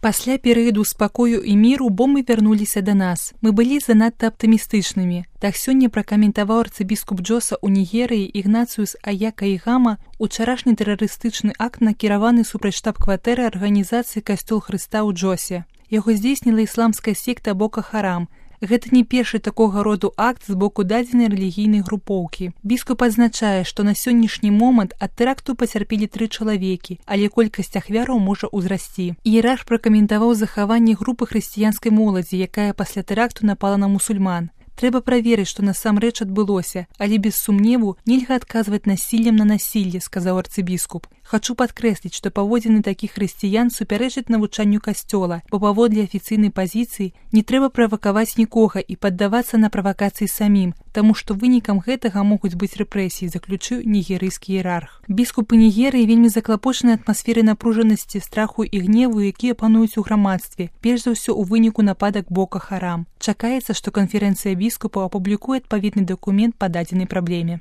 Пасля перыяду спакою і міру бомбы вярнуліся да нас. Мы былі занадта аптымістычнымі. Так сёння пракаментаваў арцыбіскуп Джоса ў Нігерыі Ігнацыюс Аякаігама учарашні тэрарыстычны акт, накіраваны супраць штаб-кватэры арганізацыі «Касцёл Хрыста» ў Джосе. Яго здзейсніла ісламская секта Бока Харам. Гэта не першы такога роду акт з боку дадзенай рэлігійнай групоўкі. Біскуп адзначае, што на сённяшні момант ад тэракту пацярпелі 3 чалавекі, але колькасць ахвяраў можа ўзрасці. Іерарх пракаментаваў захаванне групы хрысціянскай моладзі, якая пасля тэракту напала на мусульман. Трэба праверыць, што насамрэч адбылося, але без сумневу нельга адказваць насіллем на насілле, сказаў арцыбіскуп. Хачу падкрэсліць, што паводзіны такіх хрысціян супярэчаць навучанню касцёла, бо паводле афіцыйнай пазіцыі не трэба правакаваць нікога і паддавацца на правакацыі самім, таму што вынікам гэтага могуць быць рэпрэсіі, заключыў нігерыйскі іерарх. Біскупы Нігерыі вельмі заклапочаны атмасферай напружанасці, страху і гневу, якія пануюць у грамадстве, перш за ўсё ў выніку нападак Бока Харам. Чакаецца, што канферэнцыя біскупаў апублікуе адпаведны дакумент па дадзенай праблеме.